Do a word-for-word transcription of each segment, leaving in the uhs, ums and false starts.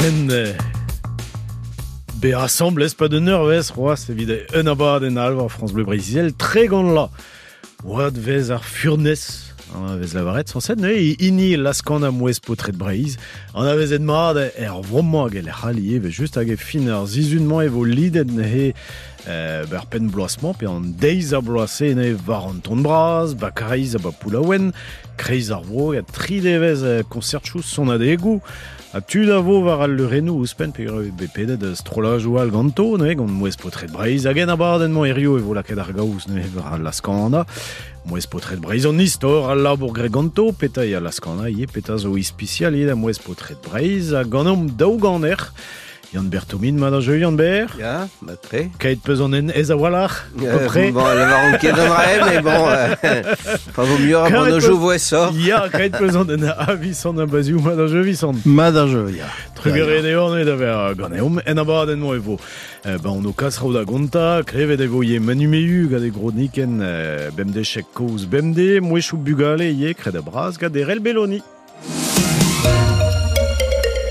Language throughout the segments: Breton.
Ouspenn be asambles pa d'un eurvez c'hoazh evit un abadenn all war France Bleu Breizh-Izel tregont la. Oad vez ar furnez an vez lavaret sañset neuze hini laskan a mouez paotred Breizh an avezet mat er vromañ hag e lec'h all ivez just hag e fin ar sizhun-mañ e vo lidet neuze euh, ber penn bloaz-mañ pe an deiz a bloaz-se neuze war an ton bras, ba Karaez ha ba Poullaouen, kreiz ar vro hag tri devezh konsertchoù sonadegoù ha tud a vo war al leurennoù ouzhpenn pe be pedet strollajoù all ganto neuze gant mouez paotred Breizh hag en abadenn-mañ hirio e vo lakaet ar gaoz neuze war al laskana mouez paotred Breizh an istor al labour graet ganto peta eo al laskana ivez peta zo ispisial ivez da mouez paotred Breizh ha ganeomp daou ganer Yann Bertomin, mat a jeu, Yann Ber. Ya, mat tre. Keit peus an en ez a-walc'h, euh, bon, lavaron ket an rae, mais bon, euh, enfin, vaut mieux apprendre au jeu voessor. Ya, keit peus an en a an baziou, mat a jeu, Visant. Mat a jeu, ya. Trugare eo an da ver ganeomp, en abadenn-mañ e vo. Ben, on o kasraou da gonta, klevet e vo ye manumeu gant e grodniken bemde chek koz bemde, mouechou bugale ye kred a braz gant erel Belloni.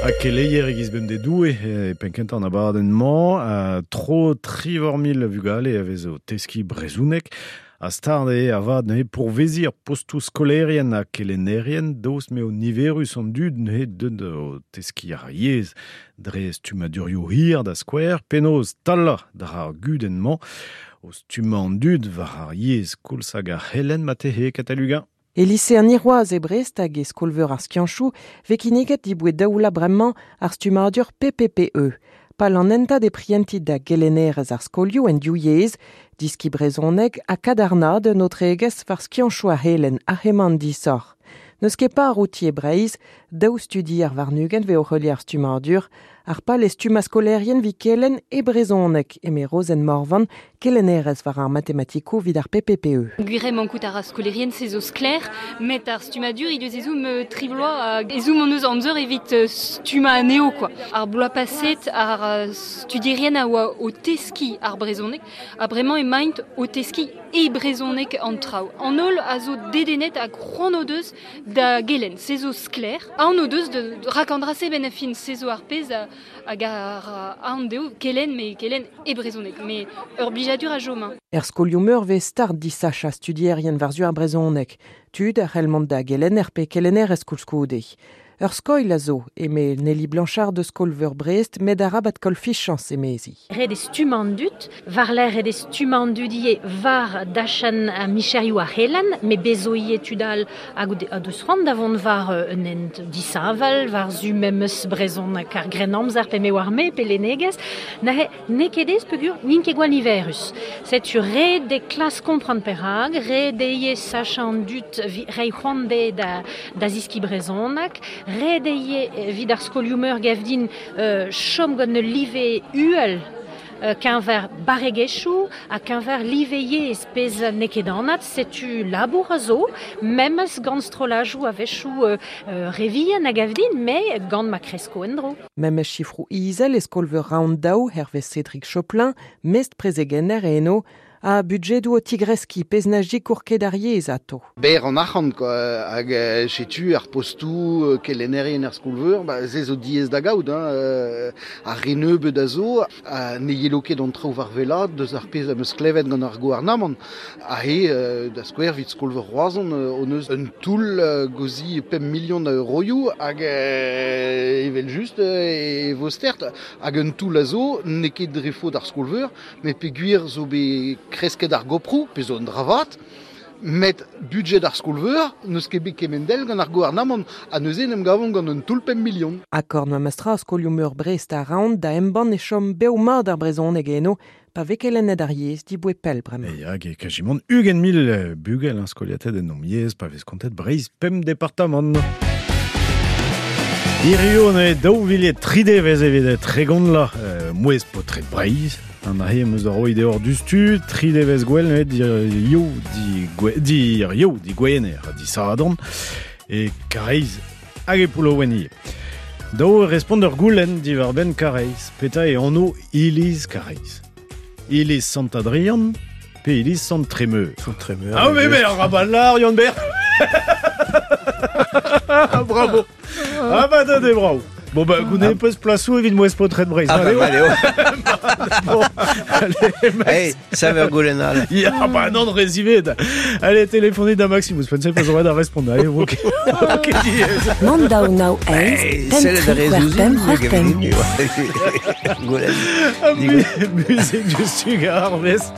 Ha keleier egiz bemde doue e penkentan abadenn-mañ, uh, tro trivor mil vugale a vez o teski brezounek, a stard eo avad neuze pourveziñ ar postoù skolerien ha kelennerien, daoust m'eo niverus an dud neuze deut o teski ar yezh dre stummadurioù hir da skouer, penaos talañ dra ar gudenn-mañ, o stummañ an dud war ar yezh koulz hag ar c'helenn matehe Katalugañ. E lise an Iroaz e Brest hag e skolveur ar skianchoù vez kinniget diboe daoula bremañ ar stummadur P P P E. Pal an hentad e prientit da gelennerez ar skolioù en div yezh, diski brezhoneg ha kadarnaat un aotregezh war skianchoù ar c'helenn ar c'hemant disoc'h. N'eus ket par outi e Breizh, daou studi ar warn-ugent vez o heuliañ ar stummadur, ar pal e stummañ skolerien vi kelenn e brezhoneg, eme Rozenn Morvan, kelennerez war ar matematikoù evit ar P P P E. Gwir eo mankout ar skolerien se zo sklaer, met ar stummadur he deus ezhomm tri bloaz hag ezhomm hon eus amzer evit stummañ anezho quoi. Ar bloaz paset ar studierien a oa o teskiñ ar brezhoneg, ha bremañ emaint o teskiñ e brezhoneg an traoù. An holl a zo dedennet hag c'hoant o deus da gelenn, se zo sklaer. Aon o deus de rak an dra-se benn ar fin, se zo ar pezh hag ar aon dezho kelenn, met kelenn e brezhoneg, met ur blijadur a chom. Er skolioù meur vez start disachañ studierien war-zu ar brezhoneg. Tud a c'hell mont da gelenner pe kelennerez koulskoude. Ur skoilh a zo, eme Nelly Blanchard de Skolveur Brest, met arabat koll fichañs emezi. Ret e stummañ an dud, war-lerc'h ret e stummañ an dud ivez war dachenn micherioù ar c'helenn, met bezo ivez tud all hag o deus c'hoant da vont war un hent disheñvel, war-zu memes brezhoneg ar grennamzer pe me war me pe lennegezh, neuze n'eo ket aes peogwir n'int ket gwall niverus. Setu ret eo klask kompren perak, ret eo ivez sachañ an dud reiñ c'hoant dezhe da, da zeskiñ brezhoneg, ret eo evit ar skolioù meur gav din euh, chom gant ul live uhel euh, keñver barregezhioù ha keñver live yezh pezh n'eo ket anat, setu labour a zo, memes gant strollajoù a-wechoù euh, euh, re vihan a gav din, met gant ma kresko en-dro. Memes sifroù izel e skolveur Round daou hervez Cédric Choplin, mestr prezegenner eno, a budjedoù o tigreskiñ pezh na sikour ket ar yezh ato. Ber an arc'hant quoi, hag setu ar postoù kelennerien ar skolveur, ba, se zo diaes da gaout, hein, ar re nebeut a zo, ha ne yelo ket an traoù war wellaat deus ar pezh am eus klevet gant ar gouarnamant. Ha he, da skouer evit skolveur Roazhon, hon eus un toull gozi pemp million a euroioù hag evel just e vo stert. Hag un toull a zo, n'eo ket dre faot ar skolveur, met peogwir zo bet kresket ar goproù, pe zo un dravat, met budget ar skolveur n'eus ket bet kemendel gant ar gouarnamant, ha neuze en em gavont gant un toull pemp million. Akord ma mastra skolioù meur Brest a Round da embann e chom bev mat ar brezhoneg eno, pa vez kelennet ar yezh diboe pell bremañ. E hag e kajimont ugent mil bugel an skoliated en om yezh, pa vez kontet Breizh pemp departamant. Hirio ne daou villet tri devezh evit tregont la euh, mouez paotred Breizh. An ahe am eus da roiñ deoc'h dustu, tri devezh gwell ne dir yo di gwe, dir yo di gwener ha di sadorn e Karaez hag e Poullaouen ivez. Daou respont ur goulenn diwar-benn Karaez, petra eo anv iliz Karaez. Iliz Sant-Adrian pe iliz Sant-Tremeur. Sant-Tremeur. Ah oui, mais ar rabalar, Yann Ber. Bravo. Ah bah, donnez bravo. Bon, bah, goude peus plasou evit mouez potret Breizh. Ah, bah, allez, oh. Bon, allez, Max. Hey, ça va goulenal. Ya, bah non, rezivet. Allez, téléphonez da Maximus. Pensez pas da répondre. Allez, ok. Ok, Mandao nao eiz, pemp tri c'hwec'h pemp c'hwec'h pemp. Musique du Sugar Vest.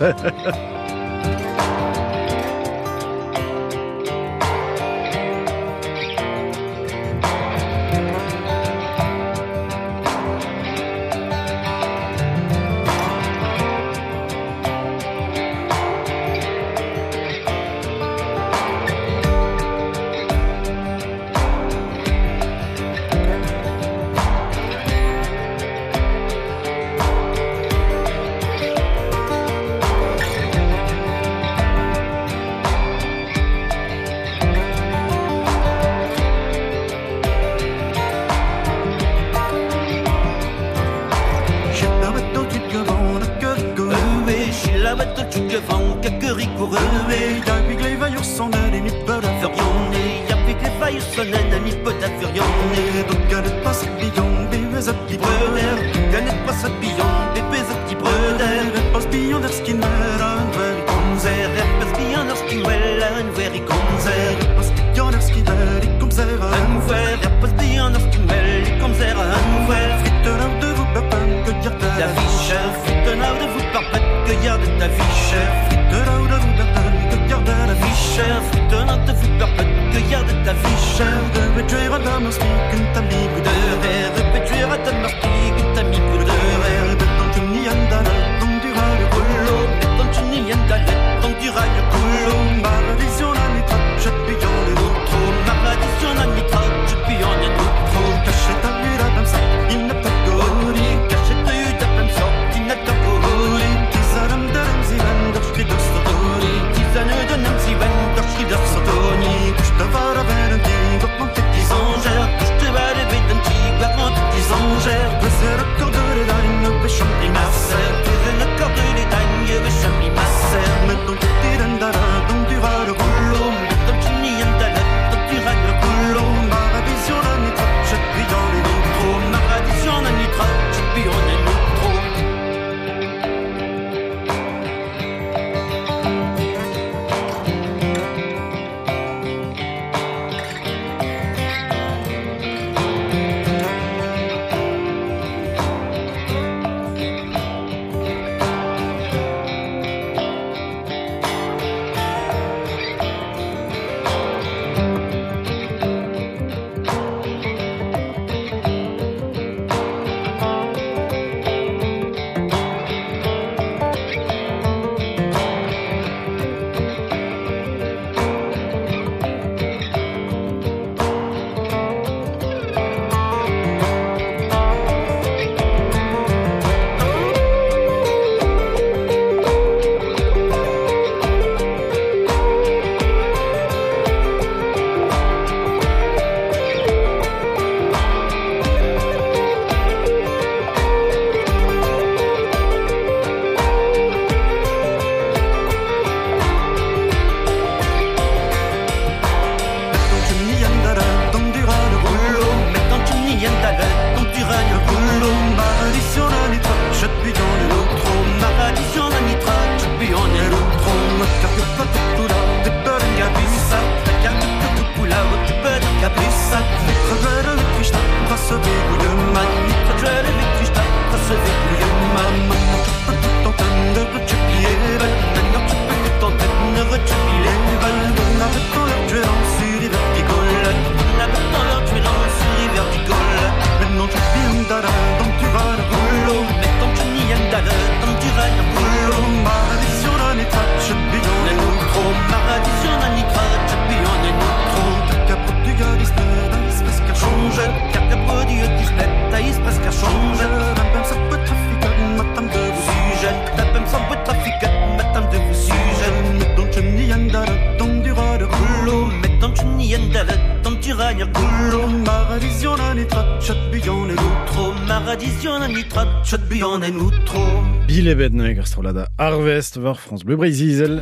Bilebet neg ar strollad Harvest war France Bleu Breizh-Izel.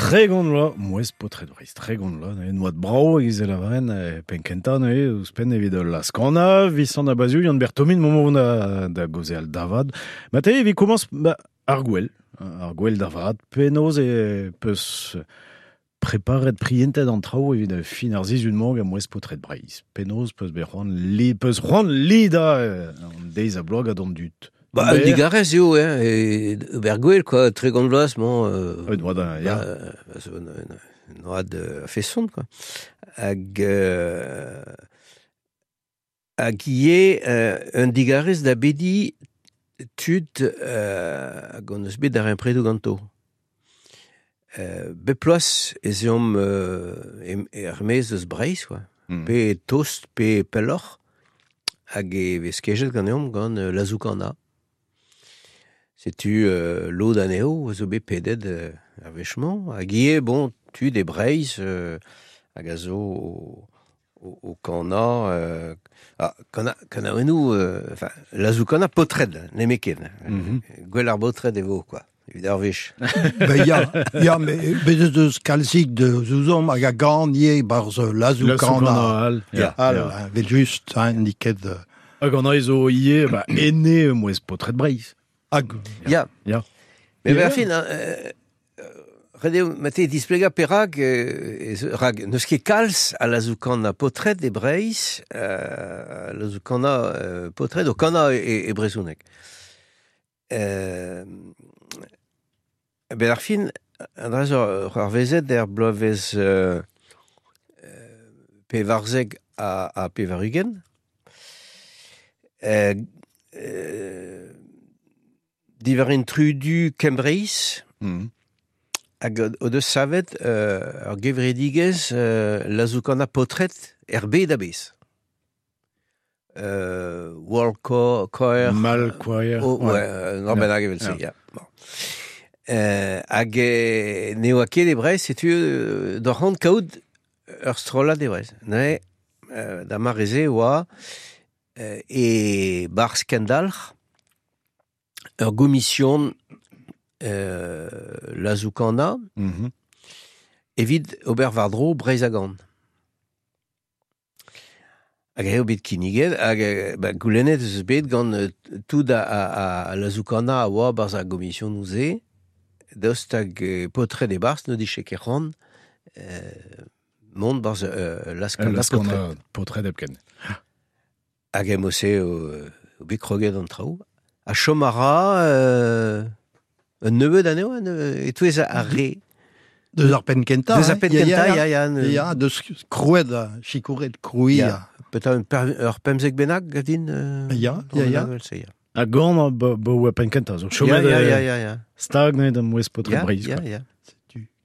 Tregont vloaz, mouez potred Breiz, tregont vloaz, ne noad brao egiz e lavaren, penkenta, ne, ouzhpenn evit la skana, Visant Abaziou, Yann Bertomin, moment da, da gozeal davad. Mate, evit komañs, ba, ar gwell, ar gwell davad, penaos e peus preparet prientet an traoù evit fin ar sizhun-mañ gant mouez potred Breiz. Penaos peus bet c'hoant li, peus c'hoant lida an deiz a bloaz gant an dud. Ba, un digarez eo, hein, e ober gwell, quoi, tregont vloaz, bon... Euh, un oad, ya. Ba, un, un, un oad a feson, quoi. Hag... Euh, hag ivez euh, un digarez da bedi tud euh, hag on eus bet ar impredoù ganto. Euh, bep ploaz ez eomp euh, er maez eus Breizh, quoi. Mm. Pe tost, pe pelloc'h, hag e vez kejet ganeomp gant euh, Lazoukana. Setu euh, lod anezho a zo bet pedet euh, ar wech-mañ. Hag ivez, bon, tud e Breizh euh, hag a zo o, o, o kana... Euh, ah, kana, kanaouennoù, euh, enfin, Lazoukana potred, nemetken. Mm -hmm. Gwell ar botred e vo, quoi. Evit ar wech. Ben ya, ya, me bet eus deus kalzik de zouzom hag a gan ivez barzh Lazoukana. Al, ya, al, ya. Vel just, hein, niket. Hag an zo ivez, ba, ene mouez potred Breizh. Hag. Ya. Ya. Mais ben, fin, hein, euh, ret eo mate displega perak, euh, rag, n'eus ket kalz a Lazoukana potred e Breizh, euh, Lazoukana euh, potred o kana e, e brezhoneg. Euh, ben ar fin, an dra zo ar vezet er bloavezh euh, pevarzek a, a pevar-ugent. Euh, euh, diwar intrudu Kembreiz, mm. hag o deus savet euh, ar gevredigezh euh, Lazoukana potred er bed a-bezh. Euh, World Choir... Mal Choir... Oh, ouais, ouais, non, ben hag evel-se, ya. Bon. Euh, hag ne oa ket e Breizh, setu euh, d'ur c'hant kaout ur strollad e Breizh. Ne, euh, da mareze oa euh, e barzh Kendalc'h ur gomision euh, Lazoukana mm -hmm. evit ober war-dro Breizh a gan. Hag eo bet kinniget, hag ba, goulennet eus bet gant tout a, a, a Lazoukana a oa barzh ar gomision ouze, daoust hag potred e barzh n'o dije ket c'hoant euh, mont barzh euh, Lazoukana potred. Potred hepken. Hag em ose o, o bet kroget an traoù. A chom a ra euh, un nebeud anezho, e-touez ar re. Deus ar penn kentañ. Deus ar penn kentañ, ya, ya. Ya, deus krouet, sikouret, krouiñ. Ya, peut-être ur pemzek bennak, gadin. Euh, ya, ya, ya. A gant bo oa penn kentañ, zo chomet ya, ya, ya, ya. Stag ne da mouez potred Breizh. Ya, ya.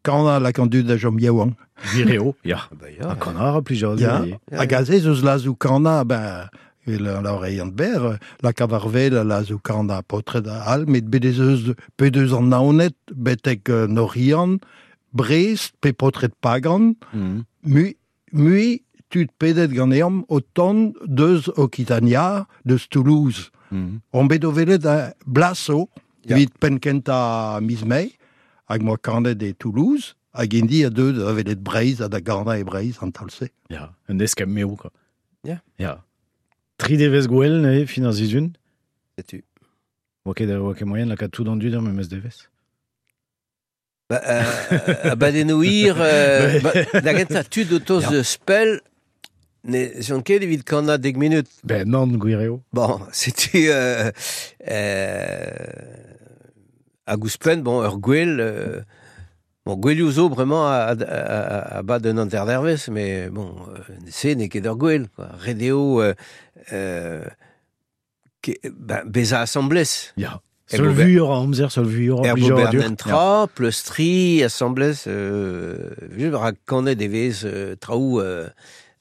Kana la kandud da jom yaouank. Vireo, ya. A kana a plijadur. Ya, hag aze eus Lazoukana, ben... la oreillant ber, la kavarvel, la zoukana potred al, met bet ez eus pe deus an naonet, betek Norian, Brest, pe potred Pagan, mm. mui, mui tud pedet ganeomp o tont deus Occitania, deus Toulouse. Mm. On bet o velet a Blaso, yeah. Evit penkenta miz Mae, hag moa kanet e Toulouse, hag indi a deud a velet Breizh, a da gana e Breizh an talse. Ya, un eskem meo, quoi. Ya. Ya. Tri devez gwell, ne, fin ar sizhun. Setu. Oa ket, oa ket moyen lakaat tout an dud ar memes devez. Ba, euh, abadennoù hir, euh, ba, da gentañ tud o toz ya. Spell, ne zon ket evit kannañ dek minut. Ben nann, gwir eo. Bon, setu... Euh, euh, hag ouzhpenn, bon, ur gwell... Euh, bon, gwellioù zo bremañ a, a, a, a bad un hanter dervez, mais bon, se n'eo ket ur gwell, quoi. Ret eo euh, euh, ke, ben, bezañ asamblez. Ya. Seul vuioc'h a amzer, seul vuioc'h a plijadur. Er tra, pleustri, asamblez, euh, rak kanet e vez euh, traoù euh,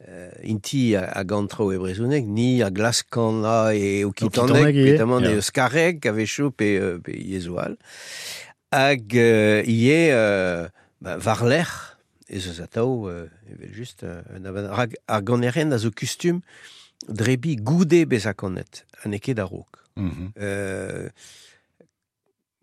euh, inti a, a gant traoù e brezhoneg, ni a glask kannañ e okitaneg, petamant e euskareg, a-wechoù pe, pe yezhoù all. Hag euh, ivez euh, ba, war-lerc'h ez eus atav euh, evel just un abadenn. Rak ar ganerien a zo kustum drebi goude bezañ kanet, ha n'eo ket a-raok. Mm -hmm. euh,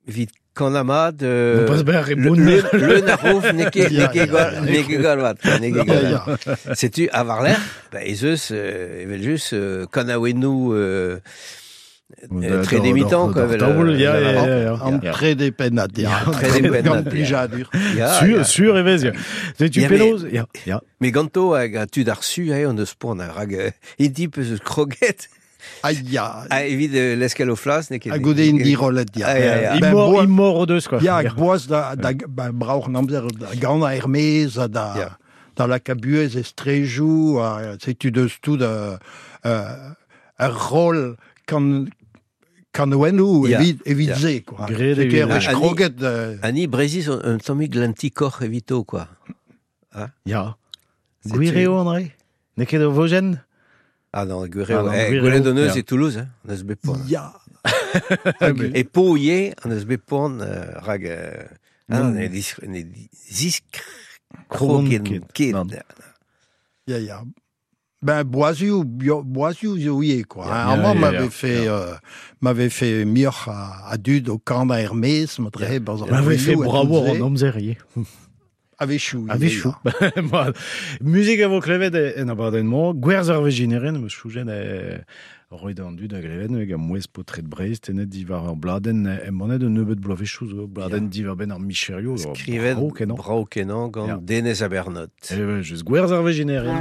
Evit kanamad... Euh, Non pas ber e le, bonner. le, le narov n'eo ket Ya, n'eo ket ya, gwall- ya. n'eo ket gwall vat, n'eo ket Ya, gwall ya. vat. Setu, a war lerc'h, ba, ez eus, euh, evel just, euh, kanaouennoù euh, euh, tre demitan, quoi. Evel, Taol, euh, ya, la- ya, ya, ya. An Ya. trede pennad, ya. Trede pennad, Gant ya. plijadur. Ya, Sur, ya. sur e vez, ya. Setu Ya, mais- penaos, ya, ya. Mais ganto hag a tud ar su, eh, on eus poan ar rag euh, int peus eus kroget Ah, ya. a evit euh, l'eskel o flas, n'eo ket... Hag goude in dirolet, ya. Ah, ya, ya. Ben, Imor, boa- imor o deus, quoi. Ya, hag boaz da, da, ben, braoc'h namzer da gant a Hermez, ha da, Ya. da la kabuez estrejou, ha setu deus tout euh, euh, ur rol kan, kanouennoù Ya. evit, evit Ya. ze, quoi. Graet Setu evit- ur wech Ah, kroget, euh, Ani Breziz un, un tammig l'antikoc'h evito, quoi. Ya. Setu- Gwir eo, André? N'eo ket o vojenn? Ah non, gwir Ah eo. non, Eh, gwir gwelet eo, hon eus ya. e Toulouse, hein, an eus bet poan. ya. E po ivez, an eus bet poan euh, rag... Euh, ah non, ne dis, ne zisk Krogon krogen ket. ket. Nann. Ya, ya. Ben, boazioù, bio- boazioù zo ivez, quoi. Ya, Hein, amañ ya, m'avait ya, fait, ya. euh, m'avait fait mioc'h a, a dud o kant a Hermez, ma dre, barzh ar M'avait fait gwilioù ha bravo tout se. an amzer ivez. A-wechoù. A wechoù. Mat. Muzik a vo klevet e- en abadenn-mañ, gwerz ar vegineren, meus choujen e roet an dud a glevet, hag a mouez potret Breiz, tenet diwar ur bladenn, e manet un nebeud bloavezhioù zo, bladenn diwar ben ar micherio. Skrivet brao kenañ. brao kenañ gant Ya. Denez Abernot. E ve, just gwerz ar vegineren.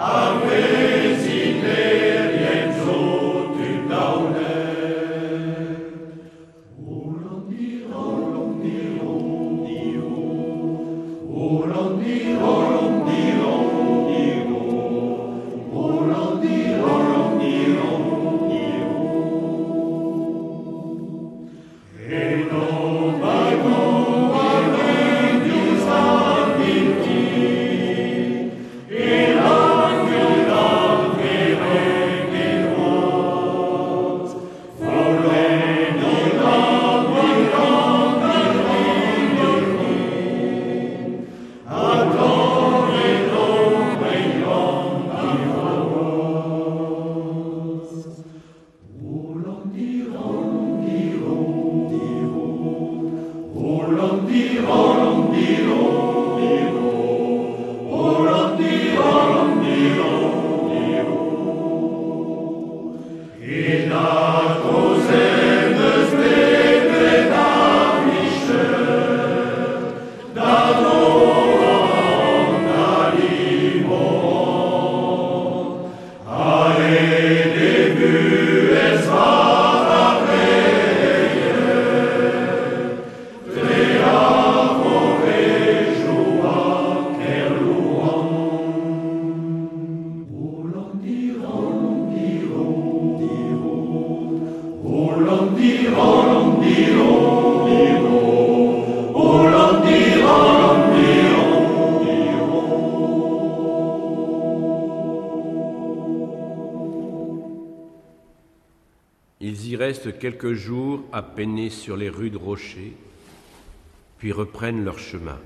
Amen. Ils y restent quelques jours à peiner sur les rudes rochers, puis reprennent leur chemin.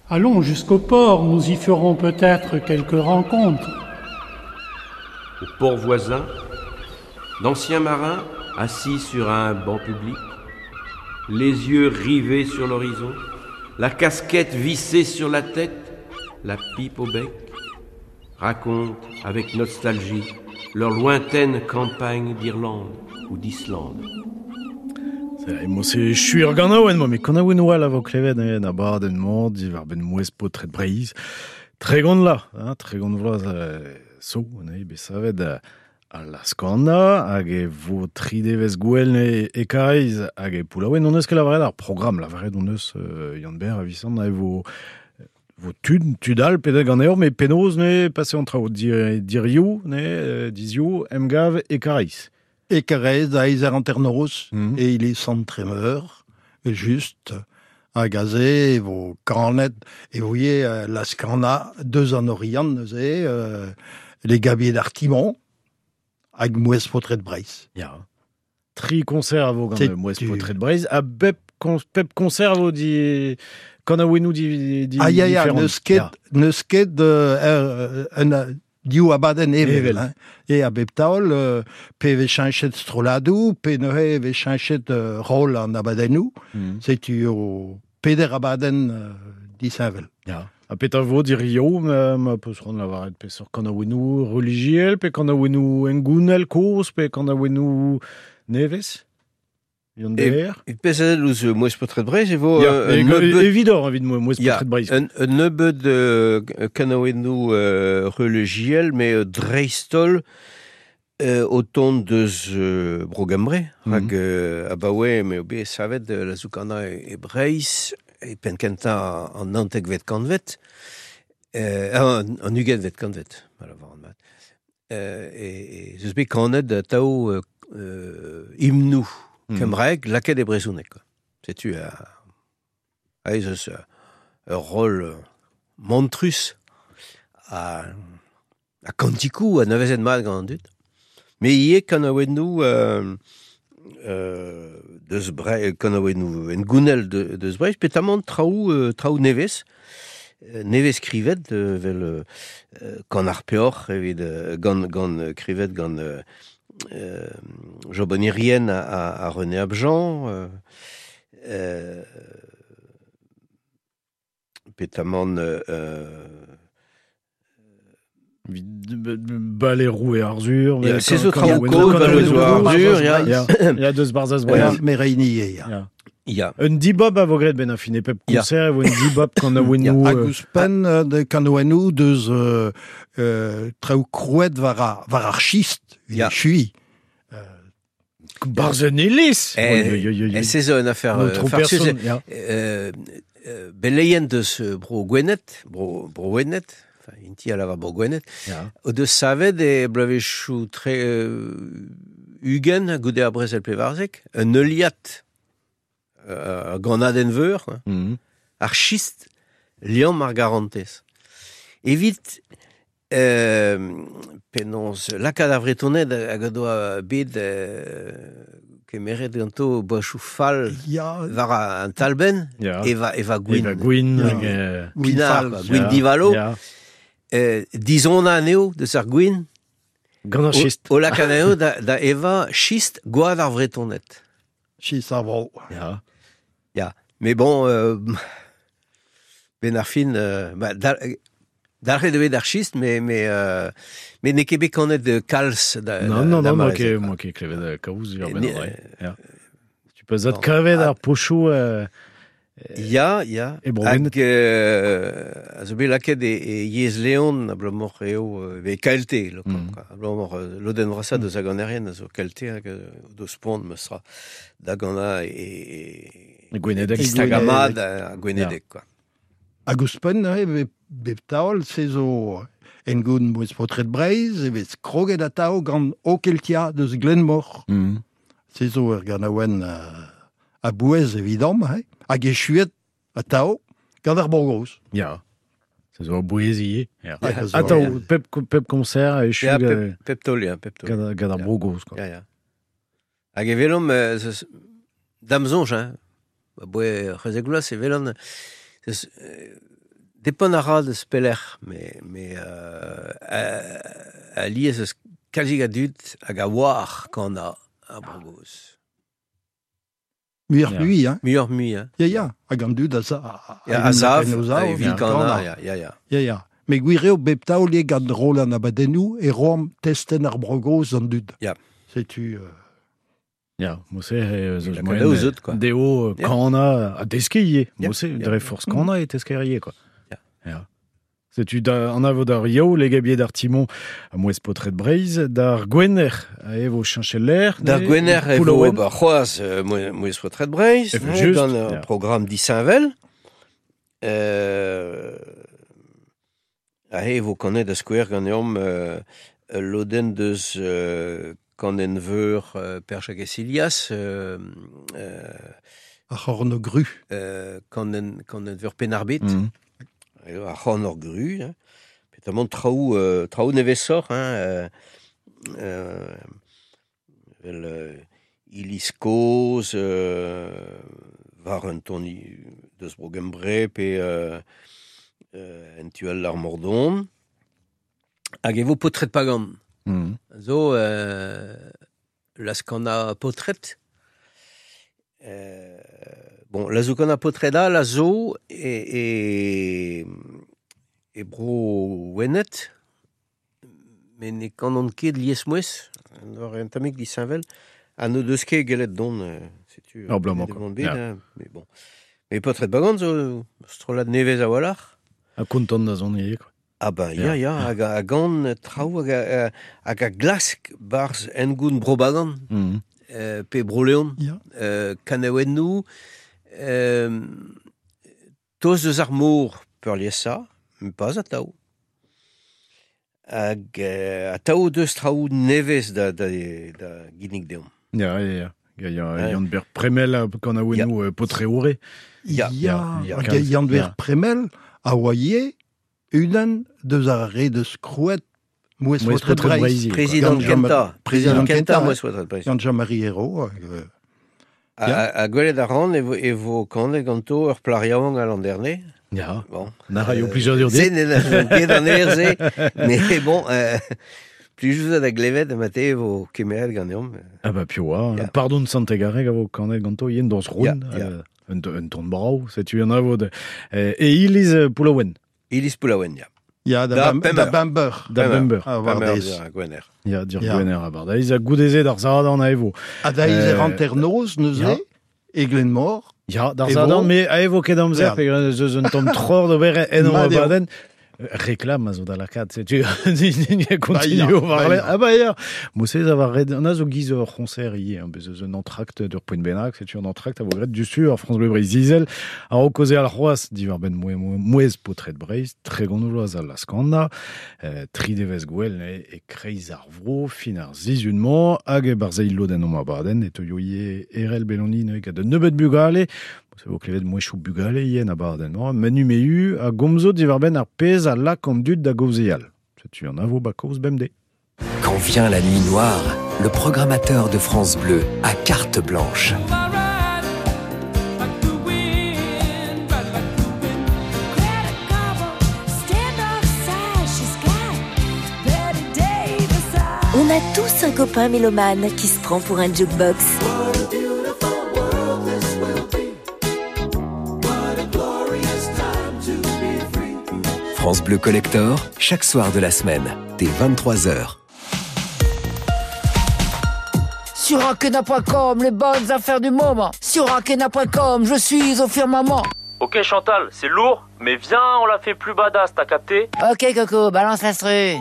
Allons jusqu'au port, nous y ferons peut-être quelques rencontres. Au port voisin, d'anciens marins assis sur un banc public, les yeux rivés sur l'horizon, la casquette vissée sur la tête, la pipe au bec, racontent avec nostalgie leur lointaine campagne d'Irlande ou d'Islande. C'est chuir ganaouen, moi, mais kanaouen oa vo klevet en abadenn mañ diwar benn mouez paotred Breizh. Tregont la, hein, tregont vloaz euh, so, ne, bet savet a la skana, hag e vo tri devez gwell e, e Karaez, hag e Poullaouen, on eus ket lavaret ar programm, lavaret on eus euh, Yann Ber a Visant, e vo vo tud, tud all pedet ganeor, mais penaos ne pase an traoù dir, dirioù, ne, dizioù, emgav e Karaez. E Karaez da eiz eur hanternoz, mm. et il est sans Tremeur, juste, hag aze, e vo kanet, e voye la skana deus an Oriant, neuze, euh, les gabiers d'Artimon, hag mouez paotred Breizh. Ya. Tri concert a vo gant mouez paotred Breizh, a bep, con, pep concert a vo di... Kanaouennoù di, di Ah ya ya, neus ket, neus ket euh, un div abadenn evel, evel. Hein. E a bep taol, euh, pe vez cheñchet strolladoù, pe neuze vez cheñchet euh, rol an abadennoù, mm. Setu o peder abadenn euh, disheñvel. Ya. Ha petra vo dirio, ma, ma peus c'hoant lavaret peseurt kanaouennoù relijiel, pe kanaouennoù hengounel kozh, pe kanaouennoù nevez? Yann Ber. E pezh ouzh mouez paotred Breizh e vo... Ya, un nebeud... Evidor evit mouez paotred Breizh. Un, un nebeud euh, kanaouennoù euh, relijiel, mais euh, dreist-holl euh, o tont deus euh, Bro Gembre, mm -hmm. hag euh, abaoe me o bet savet euh, la zoukana e, e Breizh, e penn kentañ an naontekvet kantved, euh, an, an ugentvet kantved, ma lavaran mat. Euh, e, e zeus bet kanet atao euh, euh, himnoù mm. kembraeg lakaet e brezhoneg, quoi. Setu a, a ez eus ur rol mantrus a, a kantikou a nevezet mat gant an dud. Mais ivez kanaouennoù euh, euh, deus Bre, kanaouennoù en gounel de, deus Breizh, petamant traoù, euh, traoù nevez, nevez skrivet euh, vel euh, kan ar peoc'h evit euh, gant, gant krivet gant euh, euh, Job an Irien a, a, a René Abjean, euh, euh, petamant euh, Balerou et Arzur. C'est autres Balerou et Arzur, ya. Ya deus Barzaz Breizh. Mereini ya. Ya. Un dibab a vo graet ben a fin e pep concert, e vo un dibab kanaouennoù... Hag ouzhpenn de kanaouennoù deus euh, euh, traoù krouet war ar, war ar schist, Ya. chui. Barzh un iliz. E se zo un affaire farsus. Euh, euh, beleien deus bro Gwened, bro, bro Gwened, enfin, inti a lavar bro Gwened, o deus savet e bloavezhioù tre euh, ugent goude ar brezel pevarzek, un heuliad euh, gant veur, mm. ar schist liamm ar garantez. Evit euh, penaos lakaat ar Vretoned hag o doa bet euh, kemeret ganto boachoù fall ya. war an talbenn, ya. eva, eva gwin. Eva gwin. Ya. Euh, Pinard, Gwin gwin fall. ya. Divalo. Ya. Euh, dizona anezho deus ar gwin. Gant ar schist. O, o lakaat anezho da, da eva schist gwad ar Vretoned. Schist ar vro. Ya. Ya. Mais bon, euh, ben ar fin, euh, bah, da, dalc'het eo bet ar schist, mais, mais, euh, mais n'eo ket bet kanet de kalz da, Non, non, da, non, da moi mareze, ket, quoi. moi ket klevet kaoz ur Ne- ben an Ya. Tu peux zat kavet ar pochoù euh, Ya, ya. E bro Gwened. Hag euh, a zo bet lakaet e, e yezh Leon abalamour eo euh, e K L T, lo, Mm. quoi. Abalamour euh, lodenn vrasañ deus hag an erien a zo K L T hag euh, deus pont meus tra da gant e, e, E Gwenedeg. e Stagamad a Gwenedeg, quoi. Hag ouzhpenn neuze, bep, bep taol, se zo en goun mouez paotred Breizh, e vez kroget atao gant O Keltia deus Glenmor. Mm. Se zo ur ganaouenn euh, a bouez evidemment, hein. Hag e chuet atao gant ar Borgoz. Ya. Se zo a bouez ivez. Ya. Hag a zo- Atao, pep, pep concert e Ya, chu pep, pep taol, ya, pep taol. gant, gant ar Ya. Brogoz, quoi. Ya, ya. Hag e velomp, euh, dam zonj, hein. Ba boe c'hwezek vloaz e velan, zeus, euh, depend a ra deus peler, me, me euh, a, a liez eus kalzik a dud hag a oar kan a, a brogoz. Muioc'h mui, hein. Muioc'h mui, hein. Ya, ya, hag an dud a za... Ya, a zav, a evit kan a, ya, ya, ya. Ya, ya. Me gwir eo bep taol eo gant Roland Abadennou e roam testen ar brogoz an dud. Ya. Setu... Euh... Ya, mose eus moen deo kana a deske ivez. Mose, dre forzh kana e tesker ivez, quoi. Ya. Ya. Setu da an avo d'ar yaou, legabier d'ar timon a mouez potret Breizh, d'ar gwener a evo cheñcheler. D'ar gwener e vo ba c'hoazh mouez potret Breizh, gant ur programm disheñvel. Euh, a evo kanet da skouer ganeomp euh, lodenn deus euh, Kan veur euh, Perchak e Silias euh, euh, Ar c'horn gru. Euh, kan en veur Penarbet. Mm. Ar c'horn gru. Hein. Petamant traoù, euh, traoù nevesor. Hein, euh, euh, vel, euh, Iliz kozh, euh, war un ton deus Brogembre pe euh, euh, en tual ar Mordon. Hag e vo potret pagan. Mm. Zo euh, las kana potret. Euh, bon, la zo kana potreda, la zo e, e, e bro wenet, me ne kanon ket lies mouez, an un tamik disheñvel, ha no deus ket gellet don, setu, oh, blamant, quoi. Bet, yeah. Hein, mais bon. Mais potret bagan zo strollad nevez a-walc'h. Ha kontant da zon ivez, quoi. Ah ben, ya, ya, hag a gant traoù hag a, hag a glask barz engoun bro-bagan, mm. euh, pe bro-leon, yeah. euh, kanaouennoù, euh, toz deus ar mor peurliesa, pas atav. Hag euh, atav deus traoù nevez da, da, da ginnig deomp. Ya, ya, ya. Ya, Yann-Ber Premel kanaouennoù yeah. potreoure. Ya, ya, ya. Yann-Ber Premel a oa unan deus ar re deus krouet mouez potret Breizh. Prezident Kenta. Prezident Kenta mouez potret Breizh. Gant Jean-Marie Hérault. A gwelet a ran e vo kanet ganto ur plariaouank a l'an dernier. Ya. Bon. Na raio plijadur dit. Se ne ket an er se. Mais bon, euh, plus da glevet mate e vo kemeret ganeomp. Ah bah pio oa. Pardon Santegareg a vo kanet ganto yen dans roun. Un ton brao, setu an avo. E iliz Poullaouen. Iliz Poullaouen, ya. Ya, da, da, da Bamber. Da Bamber. A Bardeiz. Gwener. Ya, dir Gwener a Bardeiz. A goudeze d'ar Zaradan a evo. A daiz e ranternoz, neuze, e Glenmor. Ya, d'ar Zaradan, me a evo ket amzer, pe zeus un tamm tror d'ober en o abadenn. Reklam a zo da lakaat, setu continue war. Ah bah ya, Mosez a war red, an a zo giz ur c'honser ivez, hein, bez eus un entracte d'ur poent bennak, setu un entracte a vo graet du sur France Bleu Breizh Izel, a ro kaoze al c'hoazh diwar benn mouez potret Breizh, tregont vloaz al laskana, euh, tri devez gwell e, e kreiz ar vro, fin ar zizunmañ, hag e barzheil lodenn omp abadenn, e teuio ivez Erel Belloni neuze gant un nebeud bugale, Se vo klevet mouezhioù bugale yen abadenn, menu meu a gomzo diwar benn ar pezh a lak an dud da gaozeal. Setu an avo ba kaoz bemdez. Quand vient la nuit noire, le programmateur de France Bleu a carte blanche. On a tous un copain mélomane qui se prend pour un jukebox. France Bleu Collector, chaque soir de la semaine, dès vingt-trois heures. Sur akena point com, les bonnes affaires du moment. Sur akena point com, je suis au firmament. Ok Chantal, c'est lourd, mais viens, on l'a fait plus badass, t'as capté? Ok Coco, balance l'instru.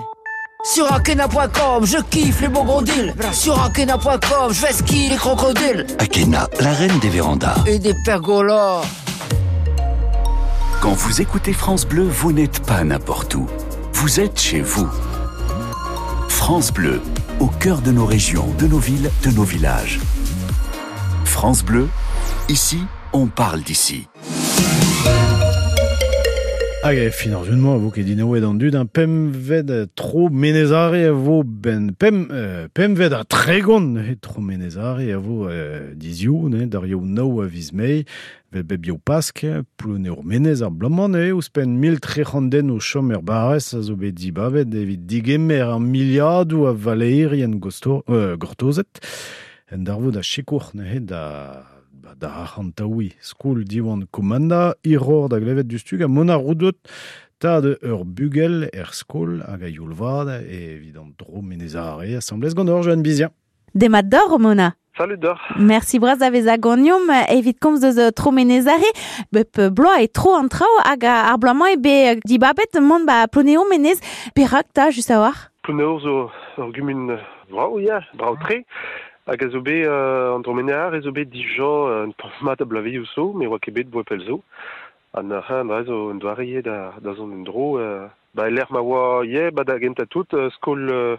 Sur akena point com, je kiffe les bons gros deals. Sur akena point com, je vais skier les crocodiles. Akena, la reine des vérandas. Et des pergolas. Quand vous écoutez France Bleu, vous n'êtes pas n'importe où. Vous êtes chez vous. France Bleu, au cœur de nos régions, de nos villes, de nos villages. France Bleu, ici, on parle d'ici. Hag e fin ar zun-mañ a vo ket dinaouet an dud, un pemved tro menezare a vo ben pem, euh, pemved a tregont he tro menezare a vo euh, dizioù, ne, d'ar eo nao a viz mei, vel beb eo pask, ploun eo menez ar blaman e, ouzhpenn mil trec'hant den o chom er barrez a zo bet dibabet evit digemer ar miliadoù a valeerien gosto, euh, gortozet, en darvoud a sikour ne da ba, da arc'hantaoui skol Diwan Komanda, iror da glevet du stug a mona roudot tad ur bugel er skol hag a youl vad evit an dro menezare asamblez gant ur Joanne Bizien. Demat d'or, Mona. Salut d'or. Merci braz da vez a goniom evit komz deus tro menezare bep bloaz e tro an trao hag ar bloaz-mañ e be dibabet mont ba Ploneo menez perak ta just a war. Ploneo zo ur gumun brao, ya, brao tre. Hag a zo bet euh, an dromenear e zo bet dija un tamm mat a blaveioù zo, me oa ket bet boa pell zo. An ar dra zo un doare eo da, da zont un dro. Euh, ba l'er ma oa ye, ba da genta tout, euh, skol, euh,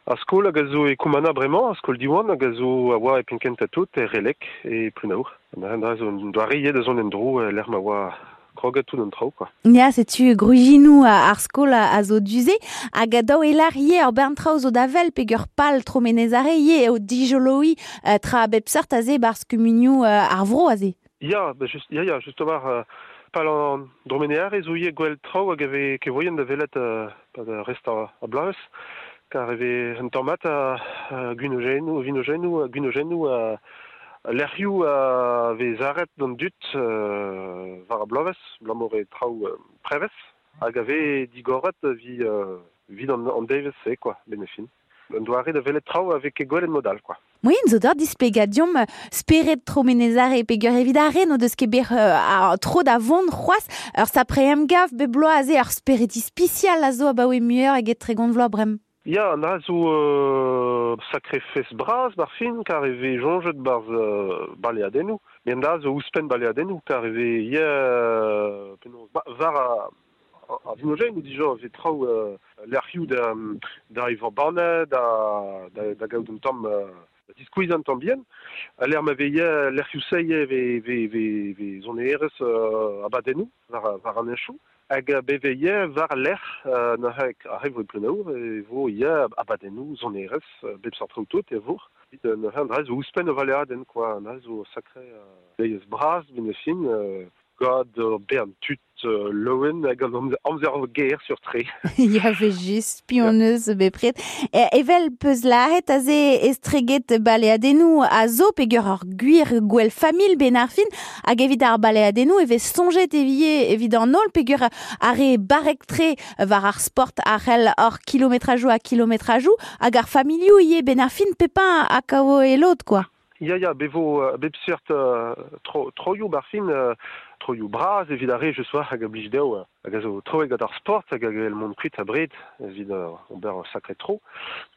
ar skol hag a zo e Koumana bremañ, ar skol Diwan hag a zo a oa e penkenta tout, e Relek e Plunaour. An ar dra zo un doare eo da zont un dro, euh, l'er ma oa kroget tout an traoù, quoi. Ya, setu grujinou ar skol a zo duze, hag a daou elar ye ur bern traoù zo da vel peger pal tro menezare ye eo dijoloi euh, tra bep seurt aze barz kumunioù euh, ar vro aze. Ya, ba just, ya, ya, just war euh, pal an dromenear e zo ye gwell traoù hag ave kevoien da velet euh, pa da rest a, a blavez, kar eve un tamm mat a, a gwinogennoù, vinogennoù, gwinogennoù a Lec'hioù a vez arret d'an dut euh, war a blavez, blamor e traoù euh, prevez, hag a vez digoret vi, euh, vid an, an devez se, quoi, benefin. Un doare da velet traoù avec e gwelet modal, quoi. Moyen zo d'or displegadiom speret tro menezare peger evit ar no deus ket ber euh, tro da vont c'hoaz ur sapre em gav be bloaz aze ur speret ispisial a zo abaoe muioc'h eget tregont vloaz brem. Ya, an a zo euh, sakre fes braz bar fin, kar e vez jonjet barz euh, baleadennoù. Mais an a zo ouzhpenn baleadennoù, kar e vez ye, euh, penaos, ba, var a, a, a vinogen ou dija vez traoù euh, lec'hioù da, da evañ banne, da, da, da gaout un tamm euh, da diskouez an tamm bien. A l'er ma vez ye lec'hioù seie ve, ve, ve, ve zonerez euh, abadennoù, var, var an enchoù. Hag beve ye war lec'h euh, na a vo plenaour e vo ye abadennoù zonerez bep sort traoù tout e vo. Evit neuze an dra zo ouzhpenn o valeadenn, quoi. An dra zo sakre euh, deiz braz benefin euh, gant ur bern tud euh, loen hag an amzer ger sur tre. Ya ve just pioneus bepred. E, evel peus laret aze estreget baleadennoù a zo peger ur gwir gwell familh ben ar fin hag evit ar baleadennoù e vez soñjet evie evit an holl peger ar re barrek tre war ar sport ar c'hell ur kilometrajoù a kilometrajoù hag ar familhoù ivez ben ar fin pepin a kao e lot, quoi. Ya, ya, bevo euh, bep seurt euh, tro, troioù bar fin, euh, troioù braz evit ar re je soar hag a blij dezho hag a zo troet gant ar sport hag hag el mont kuit a bred evit euh, ober ur sakre tro.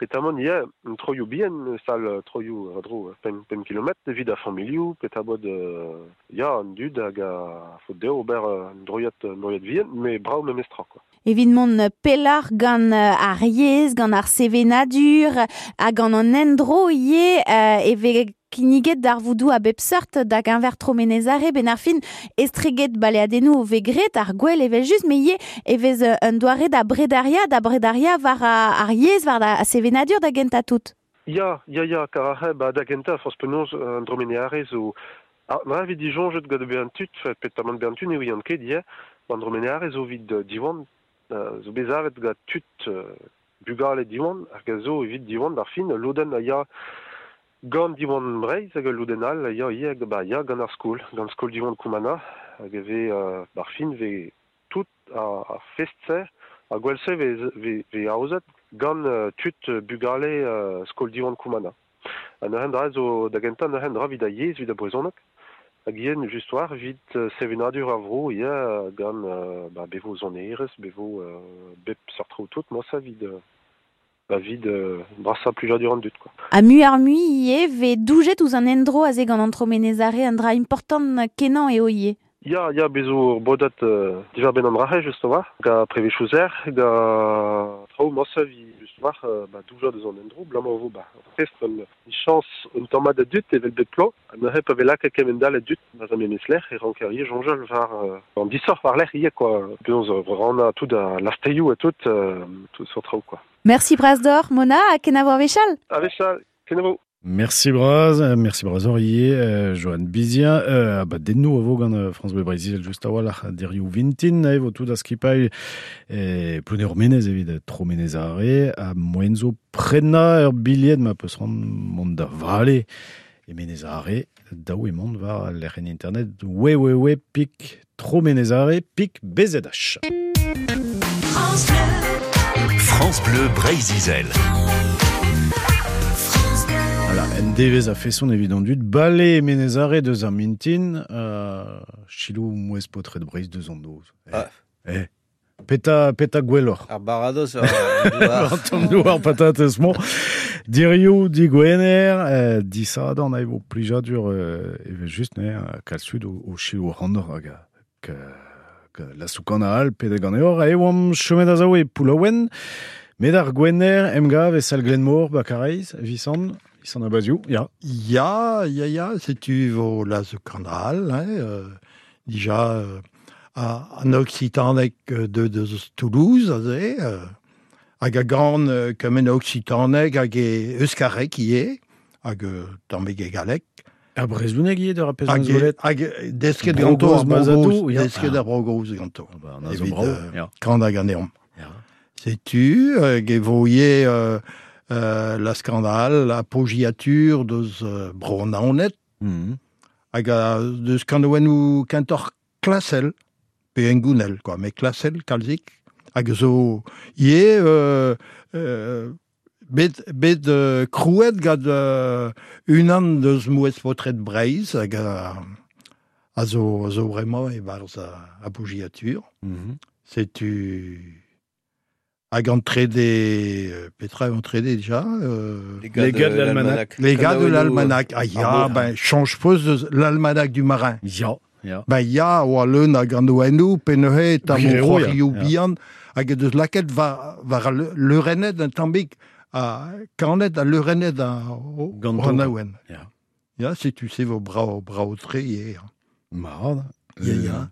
Petamant ya, un troioù bihan, sal troioù a-dro pemp, pemp kilometr evit ar familhoù, petabod euh, ya, an dud hag a faot dezho ober un droiad, un droiad vihan, mais brav memestra, quoi. Evit mont pellar gant ar yezh, gant ar sevenadur, hag gant an endro ivez euh, e vez kinniget d'ar voudou a bep seurt da geñver tro menezare ben ar fin estreget baleadennoù ve gret ar gwell evel just me ivez e vez un doare da bredaria da bredaria war ar yezh war da sevenadur da gentañ tout. Ya, ya, ya, kar ar ba da gentañ forzh penaos an dromeneare zo ah, na evit disoñjet gant bezañ tud, petamant bezañ tud ne ouian ket ivez, an dromeneare zo evit Diwan, zo bezavet gant tud bugale Diwan, hag a zo evit Diwan d'ar fin, lodenn a ya gant Diwan Breizh hag lodenn all a ya ivez ba ya gant ar skol, gant skol Diwan Koumana, hag e vez euh, bar fin vez tout ar, ar fest-se, ar gwell-se vez, vez, vez aozet gant euh, tud bugale euh, skol Diwan Koumana. Ha neuze dra zo da gentañ neuze dra evit a yezh, evit a brezhoneg, hag ivez just war evit sevenadur ar vro ivez gant euh, ba, bevo zonerez, bevo euh, bep seurt traoù tout, moi ça evit euh, ba vid euh, brasañ plijadur an dud, quoi. Ha mu ar mui ivez vez doujet ouzh an endro aze gant an tro menezare an dra important kenañ eo ivez. Ya, ya, bezo ur bodat euh, divar ben an rahe, just war, ga prevechouzer, ga traoù mañsa vi just war, euh, ba douja deus an endro, blam vo ba. Prest un chance un tamm da dut evel bet plo, ha neuze pa vez lakaet kement-all a dut, ba zan memesler, e ranker ivez soñjal war euh, an disoc'h war lerc'h ivez, quoi. Penaos rannañ tout a lasteioù ha tout, euh, tout sur traoù, quoi. Merci bras deoc'h, Mona, ha kenavo ar wechall. A wechall, kenavo. Merci braz, merci braz hor ivez, euh, Johan Bizien, euh, ba dennou a vo gant euh, France Bleu Breizh just a-walc'h dirioù vintin, e vo tout a skipailh e Plouneour Menez evit tro Menez Are, ha moen zo prenañ ur bilhed ma peus ran mont da vale e Menez Are, daou e mont war lec'hienn internet www pik tro Menez Are pik B Z H. France Bleu. France Bleu Breizh-Izel. Voilà, en devez a feson evit an dud, bale Menez Are deus ar mintin, euh, chilou mouez potret Breizh deus an noz. Eh, Ah. eh. Peta, peta gwelloc'h. Ar baradoz ar douar. An tamm douar patatez, bon. Dirioù digwener, euh, disadorn a evo plijadur, euh, evel just, ne, kalz tud o, o chilou rannoc'h hag a, ka, ka la soukan a al, pede ganeor, a eo am chomet a zaou e Poullaouen, met ar gwener, emgav e sal Glenmor, Bakareiz, Visant, Visant Abaziou, ya. Ya, ya, ya, setu vo la soukan al, hein, euh, dija, euh, a, an occitanek de, de Toulouse, aze, euh, hag a gant euh, kemen occitanek hag e euskarek ivez, hag euh, tammig e galleg. Ha brezhoneg ivez d'ur pezh Hag an zolet. hag desket ganto ar Bro-Goz Mazadou, Bro-Goz, ya. desket ar Bro-Goz ganto. Ah bah, an a zo Evit, brao, euh, ya. kant hag aneomp. Ya. Setu, hag e vo ivez, euh, euh, la scandale, la pogiature deus euh, Bro-Naoned, Mhm. hag a deus kanaouennoù kentoc'h klasel, pe engounel, quoi, met klasel, kalzik, hag zo ivez, euh, euh, bet, bet euh, krouet gant euh, unan deus mouez potret Breizh, hag a, a zo, a zo bremañ e-barzh a, a pogiature. Mhm. Setu hag an trede, euh, petra eo an trede déjà euh, Les gars Les gars de de l'almanach. l'almanach. Les gars de Kanaouennoù, l'almanach. Ah ya, ar ben, change peus deus l'almanach du marin. Ya, ya. Ben ya, oa leun hag an oennoù, pe neuze tamm Gwir eo, ya. c'hoarioù Ya. bihan, hag e deus lakaet war, war al leurennet un tammig, a kanet a leurennet a o, Ganto, an quoi. aouen. Ya. Ya, setu se vo brao, brao tre ivez. Marad. Ya, ya.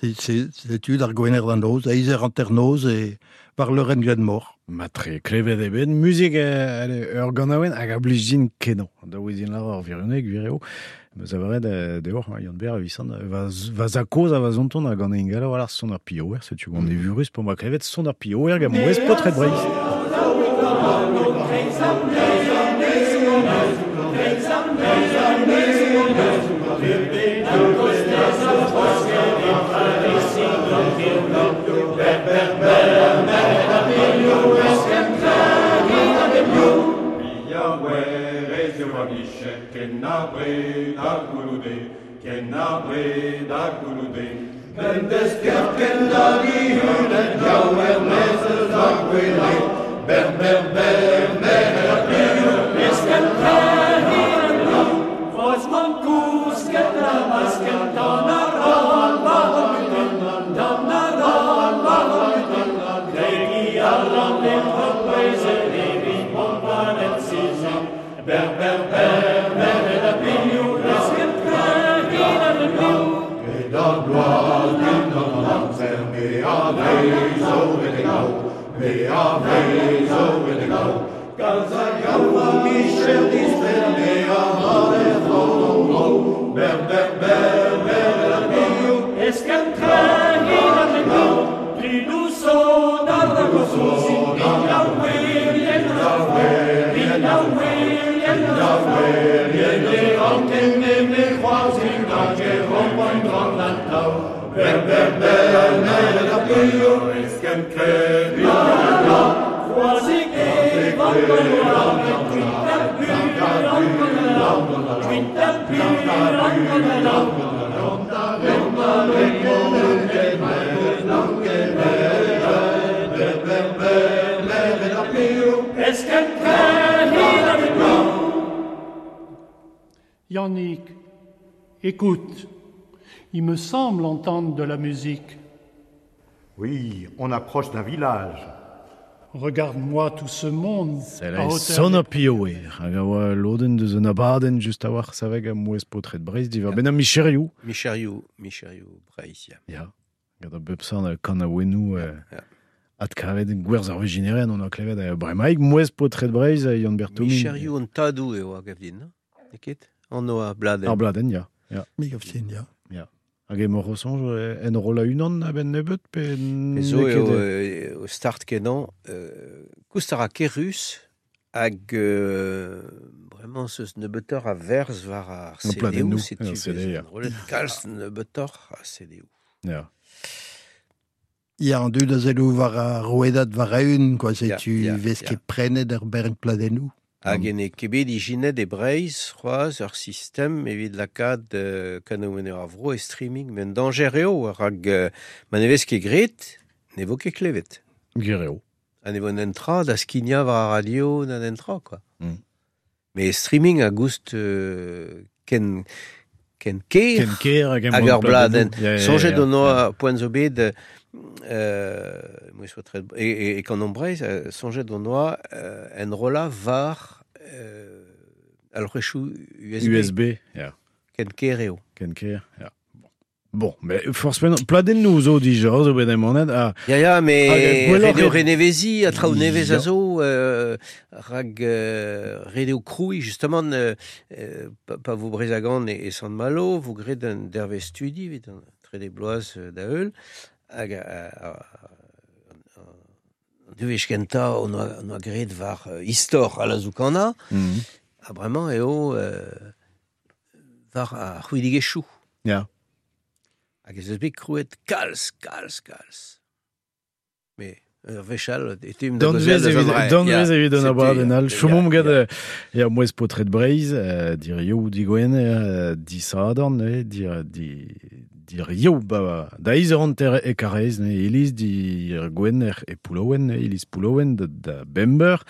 C'est, c'est, setu d'ar gwener d'an noz, a izer hanternoz e war leurenn Glenmor. Matre klevet e ben, muzik eh, ale, ur ganaouenn hag a blij din kenañ. Da ouezin lar ar virioneg, gwir eo. Meus avaret eh, deoc'h, hein, Yann Ber, Visant, va, va zakoz a va zonton hag an engalo war ar son ar pioer, setu gant evurus pour ma klevet son ar pioer gant mouez potret Breizh. Yannick, écoute, Il me semble entendre de la musique. Oui, on approche d'un village. Regarde-moi tout ce monde. Son a pioe, hag a oa loden deus un abadenn just a-walc'h saveg a mouez paotred Breizh diwar ben a Micherioù. Micherioù, Micherioù Breizh, ya. Ya, gant a bep seurt kanaouennoù adkavet gwerz ar vijineren on a klevet a bremaik mouez paotred Breizh a Yann Bertomin. Micherioù an tadoù eo a gav din, no? N'eo ket? An oa bladenn. Ar bladenn, ya. Ya. Me gav din, ya. Ya. Hag emañ rosoñj en roll a-unan a-benn nebeut pe... Zo eo o start kenañ koust a ra kerrus hag bremañ zeus nebeutoc'h a verz war ar C D-où, setu enrollet kalz nebeutoc'h a C D-où. Ya. Ya, an dud a zelloù war ar rouedad war a-un, quoi, setu vez ket prenet ar bern pladennoù. Hag en e kebet ijinet e Breizh c'hoazh ur sistem evit lakaat euh, kanaouennoù ar vro e streaming, met un dañjer eo rak euh, ma ne vez ket graet, ne vo ket klevet. Gwir eo. Ha ne vo un tra da skignañ war ar radio na un tra, quoi. Mm. Mais streaming a goust euh, ken, ken ker, ken ker hag, hag ur bladenn. Soñjet on oa poent zo bet Euh, et, et, et quand on Breizh, soñjet on oa euh, enrollañ war euh, alc'hwezhioù U S B. U S B, ya. Ken ker eo. Ken ker, ya. Bon, mais forcément, pladennoù zo dija, zo bet emanet. A, ya, ya, mais ret eo renevezi, a traoù nevez a zo, euh, rag euh, ret eo krouiñ, justement, euh, pa, pa vo Brezagan e, e Sant-Malo, vo graet un dervezh studi, evit an trede bloaz da heul, hag an devezh kentañ on oa, on oa graet war istor a Lazoukana, mm. ha bremañ eo euh, war ar c'hwidigezhioù. Ya. Hag ez eus bet krouet kalz, kalz, kalz. Mais ur wech all, e teum da gaozeal eus an dra. Danvez evit an abadenn all. Chomomp gant ya mouez paotred Breizh, dirioù digwener, disadorn, dir dirioù ba da eizh eur hanter e Karaez, iliz dir gwener e Poullaouen, iliz Poullaouen da, da Bember.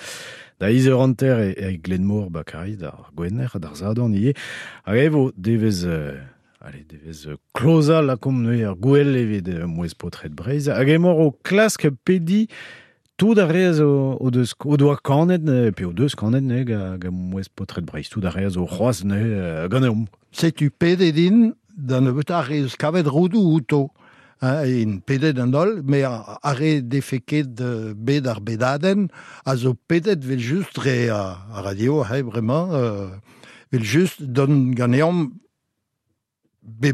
Da eizh eur hanter e, e Glenmor ba Karaez, d'ar gwener, d'ar zadorn ivez. Hag e vo devez... Allez, devez kloza lakomp neuze ar gwell evit mouez paotred Breizh. Hag emañ o klask pedi tout ar re o, o deus o doa kanet, pe o deus kanet neuze ga, ga mouez paotred Breizh. Tout ar re zo c'hoazh neuze ganeomp. Setu pedet din da nebeut ar re eus kavet roudoù outo. Hein, in pedet an holl, mais ar re defe ket bet ar bedadenn a zo pedet vel just dre a, a radio, hein, vraiment, euh, vel just don ganeomp be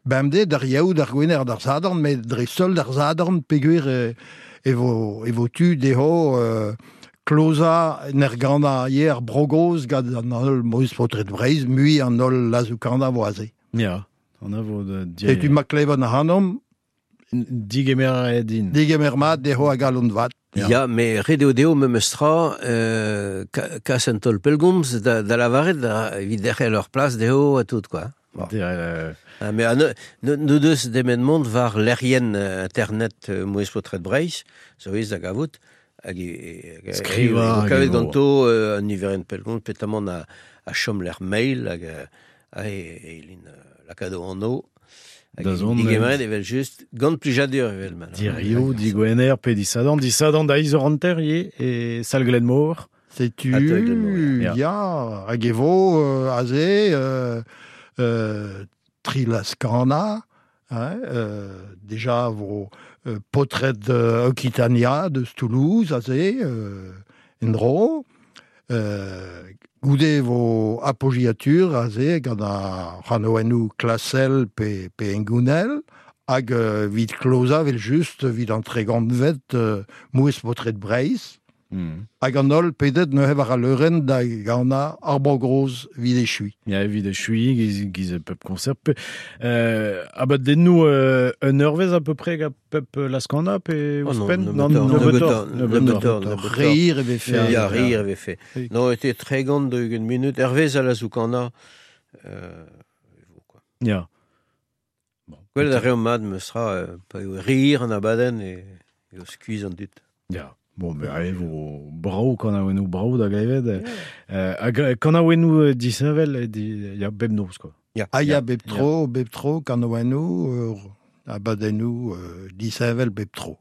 bemdez d'ar yaou d'ar gwener d'ar zadorn, met dre seul d'ar zadorn peogwir e, e vo, e vo tu dezho euh, kloza n'er gana hier brogoz gant an holl mouez paotred Breizh, mui an holl lazoukana vo aze. Ya, an a vo de... E tu ma klevan ac'hanomp Digemer din. Digemer mat dezho a galon vat. Ya, ya mais ret eo dezho memes tra euh, kas an taol pellgomz da, da lavaret da, evit derc'hel ur plas dezho ha tout, quoi. Bon. Euh... Ah, mais ah, no, no deus demet mont war lec'hienn internet euh, mouez paotred Breizh, zo ez da gavout, hag e, Skriva, e, kavet ganto euh, an niverenn pellgomz, petamant a, a chom lec'h mail, hag a, e, e lin lakado anno, hag digemeret evel just, gant plijadur evel ma. Dirioù, digwener, pe disadorn, disadorn da eizh eur hanter ivez, e sal Glenmor. Setu, ya, hag e vo euh, aze... Euh, Euh, Trilascana, hein, euh, déjà vo euh, potred euh, Occitania de Toulouse, aze, euh, endro, euh, goude vo apogiatur, aze, gant a ranoennoù klasel pe, pe engounel, hag euh, vid kloza vel just vid an tregantvet euh, mouez potred Breizh, Mm. Hag an holl pedet neuze war al leurenn da gana ar brogroz vid echui. Ya, vid echui, giz, giz pep concert. Pe, euh, abadennoù euh, un eurvezh à peu près ga pep laskana pe oh ouzhpenn? Non, nebeutoc'h. Nebeutoc'h. Rire e vefe. Ya, rire e vefe. Non, ete tregont de ugent minut. Hervez a lazoukana. Euh, quoi. Ya. Bon. Gwell a reomp mat me sera euh, pa eo rire an abadenn e, e o skuizh an dud. Ya. Bon, ben, allez, vo brao kanaouennoù brao da glevet. Euh, hag kanaouennoù disheñvel, di, ya bemnoz, quoi. Ya. Ah ya, bep tro, bep tro, kanaouennoù, euh, abadennoù, euh, disheñvel bep tro.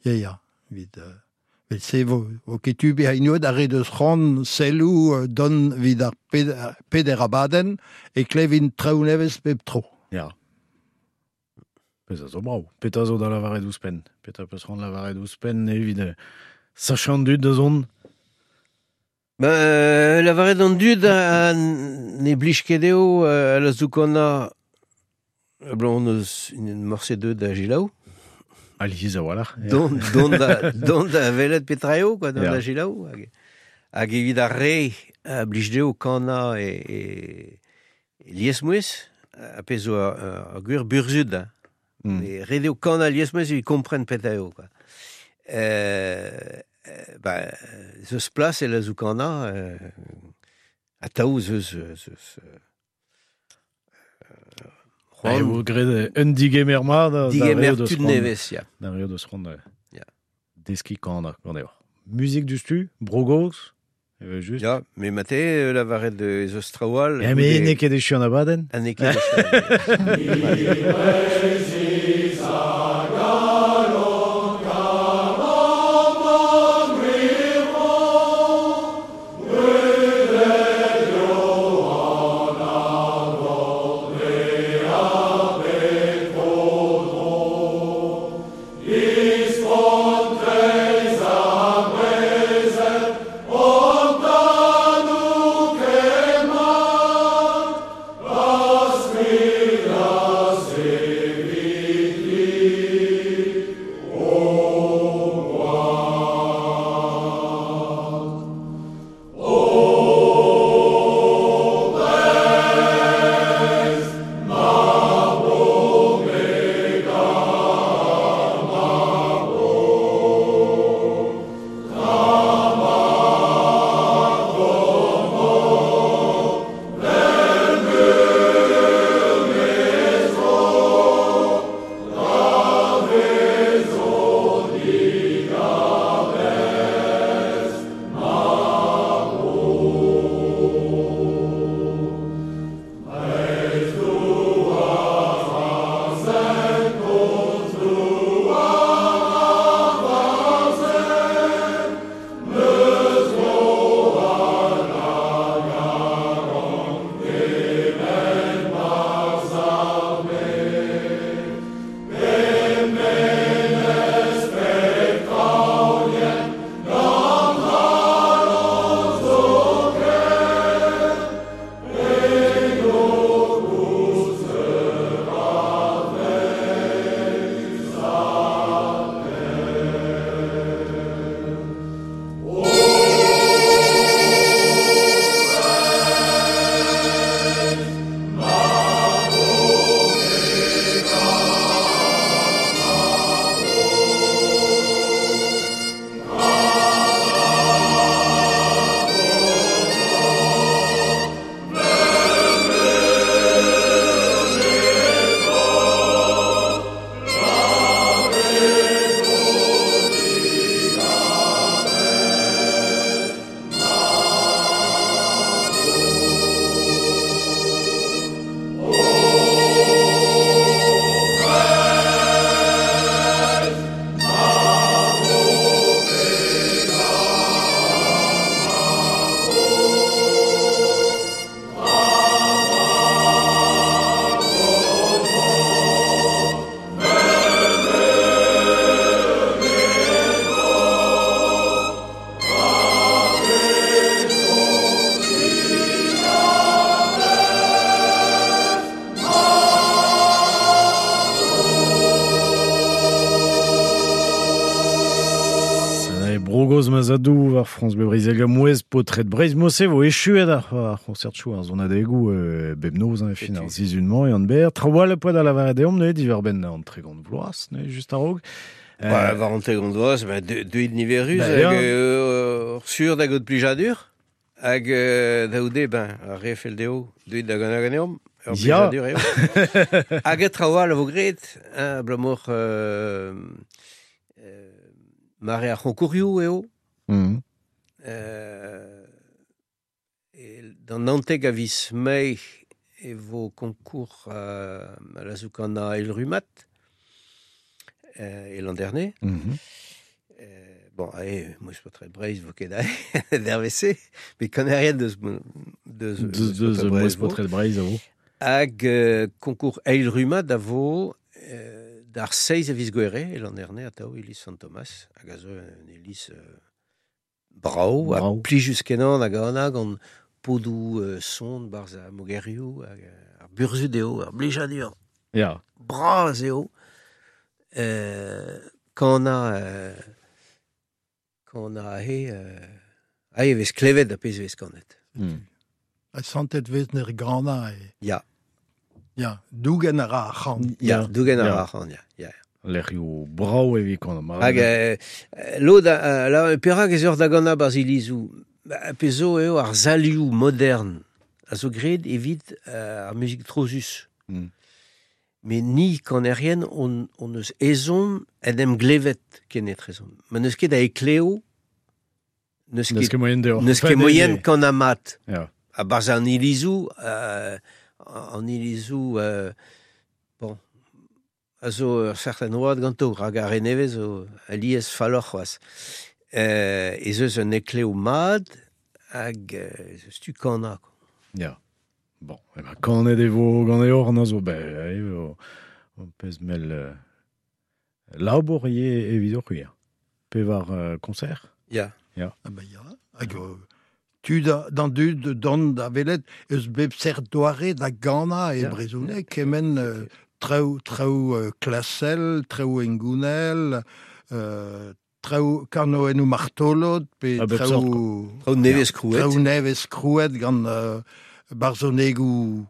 Ya, ya, evit... Euh, vel se vo, vo ket tu bezañ inouet ar re deus c'hoant selloù euh, don evit ar ped, peder abadenn e klevin traoù nevez bep tro. Ya. Pezh a zo brav. Petra zo da lavaret ouzhpenn. Petra peus c'hoant lavaret ouzhpenn evit euh, sachañ an dud da zont. Ben, lavaret an dud a ne blij ket eo a la zoukana blanc eus un morse deud da gilaou. Alies a-walc'h. Don, don da, don da velet petra eo, quoi, don da gilaou. Hag, hag evit ar re a blij dezho kana e, e, e liesmouez, a pezh zo ar, ar gwir burzhud. Hein. Mm. E re dezho kana liesmouez evit kompren petra eo, quoi. Euh, ben, zeus plas e la zoukana, euh, atav zeus... zeus euh, E vo graet un digemer mat digemer tud nevez, ya. Da re deus c'hoant ya. Deskiñ kana, gant eo. Muzik dustu, Bro-Goz, evel just. Ya, me mate lavaret ez eus traoù all. Ya, me n'eo ket echu an abadenn. Ha n'eo ket echu an abadenn. Brogoz Mazadou war France Bleu Breiz hag mouez potret Breiz Mose vo echuet ar ar concert chou ar zonadegoù euh, bep noz an fin ar sizhun-mañ e an ber. Traoù poad a lavaret deomp neuze diwar-benn an tregont vloaz neuze just a-raok. Euh, ba, war an tregont vloaz, ba, deuit niverus hag euh, sur da gaout plijadur hag euh, da oude ben ar re fell dezho deuit da gant ganeomp ur plijadur eo. Hag e traoù all a vo graet hein, abalamour euh, euh, mare ar c'honkourioù eo. Mm. Euh, e, d'an naontek a viz Mae e vo concours euh, à la Zoukana El Rumat euh, e l'an dernier. Mm -hmm. euh, bon, allez, moi je suis pas très Breizh, vo ket d'R V C, mais connais rien de de de de de moi je pas très Breizh vo. Hag euh, concours El Rumat a vo euh, d'ar seiz a viz gwere e l'an dernier atao iliz Sant Thomas hag a zo un iliz euh, brao, brao. A plijus kenan hag an hag an podou euh, son barz a mogerioù hag ar burzhud eo, ar blijadur. Ya. Bras eo. Euh, quand a euh, quand a he euh, a e vez klevet a pezh vez kanet. Mm. A santet vez ner gana e. Ya. Ya, dougen a ra ar c'han. Ya, dougen a ra ar c'han, ya. Ya. Lec'hioù brao evit kan. Hag euh, lod a, la perak ez ur da gana barz ilizou. Pezh zo eo ar salioù modern a zo graet evit euh, ar muzik trozus. Mm. Mais ni kanerien on, on eus ezhomm en em glevet kenetrezomp. Ma n'eus ket a ekleo, n'eus ket moyen deoc'h. N'eus ket moyen kan amat. Ya. A barz an ilizou, euh, an ilizou, euh, bon, a zo ur certain oad ganto, rak ar renevez zo alies falloc'h c'hoazh. Euh, ez eus un ekleo mat hag ez eus tu kana. Ya. Bon, e ben, kanet e vo gant e hor an a zo, ben, e vo, pezh mel euh, labour ivez evit hor c'hwir. Pevar euh, concert? Ya. Ya. Ah ben ya, hag euh, tu da, d'an dud don da velet eus bep sert doare da gana e brezhoneg kemen euh, traoù traoù euh, klasel, traoù engounel, euh, traoù karnoennoù martolod, pe traoù traoù nevez krouet. Traoù nevez krouet gant euh, barzhonegoù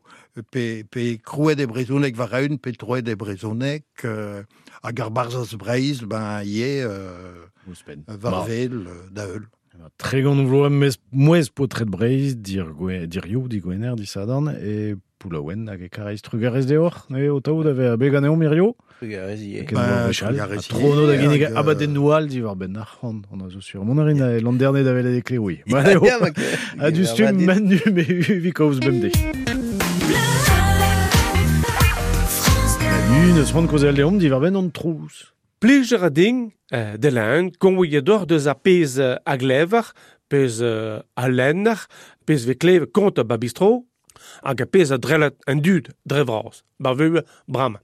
pe, pe krouet e brezhoneg war eun, pe troet e brezhoneg, euh, hag ar barzhaz Breizh, ben ivez euh, war vel da heul. Tregont vloaz mez mouez paotred Breizh, dir gwe, dir you, di gwener, di sadan, e poulaouen hag e kareiz trugarez deoc'h, ne o taout ave a beganeomp hirio. Trugarez ivez. Trugarez Trono da ginnig abadennoù all diwar benn ar c'hant, on a zo sur. Mon a rin a l'an dernier da velet e kleoui. A du stum manu me uvi kaoz bemde. Manu, neus c'hoant kaozeal deomp diwar benn an trouz. Plijer a ding, euh, de l'un, konvoye dor deus a pezh a glever, pezh euh, a lenner, pezh ve kleve kont a babistro, hag a pezh a drellet an dud dre vras, bar veu bram.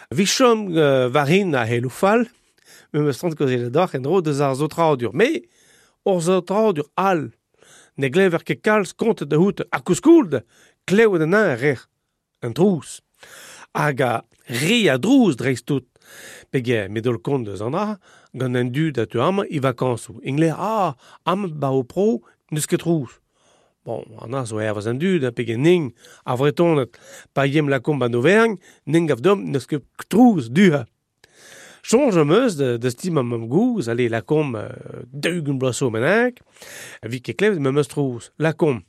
Vichom euh, varin a helou fall, me me strant kaozeal dor en dro deus ar zotradur. Me, ur zotradur al, ne glever ket kalz kont da hout a kouskould, klevet an an rer, an trouz. Hag a re a drouz dreist tout. Pege medol kont deus an dra, gant an dud a tu am i vakañsoù. Ingle, ah, am ba o pro, n'eus ket trouz. Bon, an a zo ervez an dud, pege ning a vretonet, pa yem la komp an Auvergne, ning av dom n'eus ket trouz duha. Soñj am eus de, de stim am am gouz, ale la komp euh, daou-ugent bloaz zo mennak, vi ket klevet me'm eus trouz. La komp,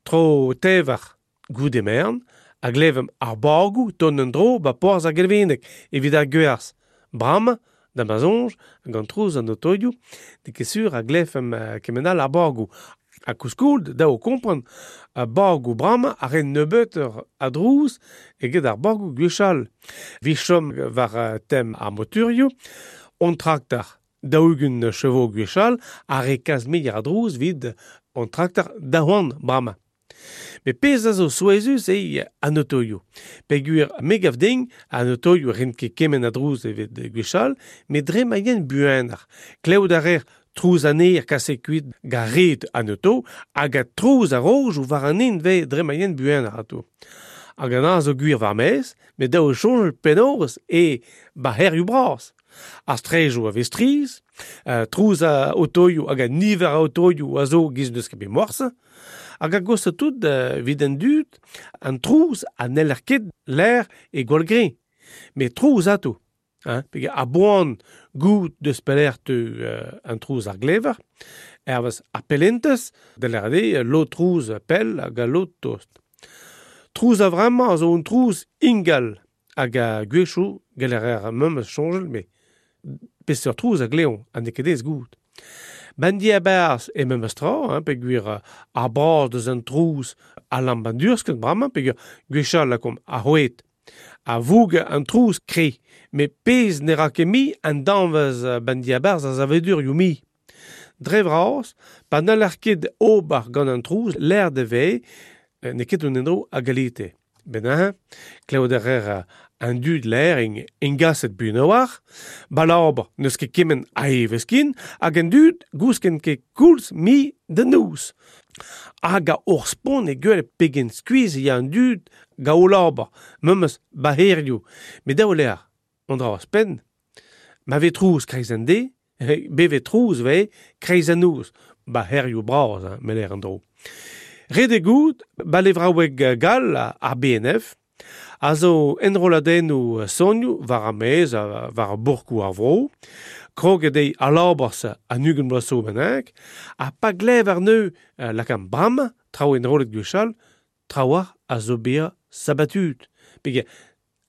tro tevar goude mern, a glevem ar bargoù ton an dro ba porzh ar gelveneg evit ar gwerz. Bram, da ma soñj, gant trouz an otoioù, de ket sur a glevem uh, kement all ar bargoù. A kouskould, da o kompren, a bargoù bram a ren nebeut a drouz eget ar bargoù gwechall. Vichom war uh, tem ar moturioù, on traktor daou-ugent chevaux gwechall a re kaz meier a drouz vid on traktor daouan bram. Me pezh a zo souezhus eo an otoioù. Peogwir me gav din an otoioù ren ket kement a drouz evit gwechall, met dre ma yen buanoc'h. Klevout a rer trouz an aer kaset kuit gant red an oto, hag a trouz a rojoù war an hent vez dre ma yen buanoc'h ato. Hag an a zo gwir war maez, met daou soñjal penaos e ba herioù bras. Ar strejoù a vez striz, uh, trouz a otoioù hag a niver a otoioù a zo giz n'eus ket bet morse, hag a gost tout uh, evit an dud, an trouz a n'heller ket l'air e gwall greñ. Met trouz ato. Hein, pege a boan gout deus pelec'h teu uh, an trouz ar glever, ervez ar pellentez, da l'er eo lo trouz pell hag a lo tost. Trouz a vremañ a zo un trouz ingal hag a gwechoù geller ar memes soñjal, met peseurt trouz a gleon, ha n'eo ket aes gout. Ben diaberz e memes tra, hein, peogwir ar braz deus an trouz a lamp an dursket bremañ, peogwir gwechall lakomp ar c'hoed. A voug an trouz kre, met pezh ne ra ket mi an danvez ben diaberz a zavedurioù mi. Dre vras, pa n'haller ket ober gant an trouz, l'air de ve, ne ket un endro a galite. Ben hein, klevet a rer an dud l'air en engaset buan a-walc'h, balabr n'eus ket kement a evezh ken, hag an dud gousken ket koulz mi da noz. Hag a hor spont e gwell pegen skuizh ya an dud ga o labour, memes baherioù. Met daou lec'h, an dra ouzhpenn, ma vez trouz kreiz an deiz, bevet trouz vez kreiz an noz, baherioù bras, hein, me lec'h an dro. Ret eo goût, ba levraoueg gall ar B N F, a zo enrolladennoù sonioù war ar maez, war ar bourkoù ar vro, kroget eo al labour-se an ugent bloaz zo bennak, ha pa glev ar neu lakaat bremañ, traoù enrollet gwechall, traoù a zo bezañ sabatut. Peogwir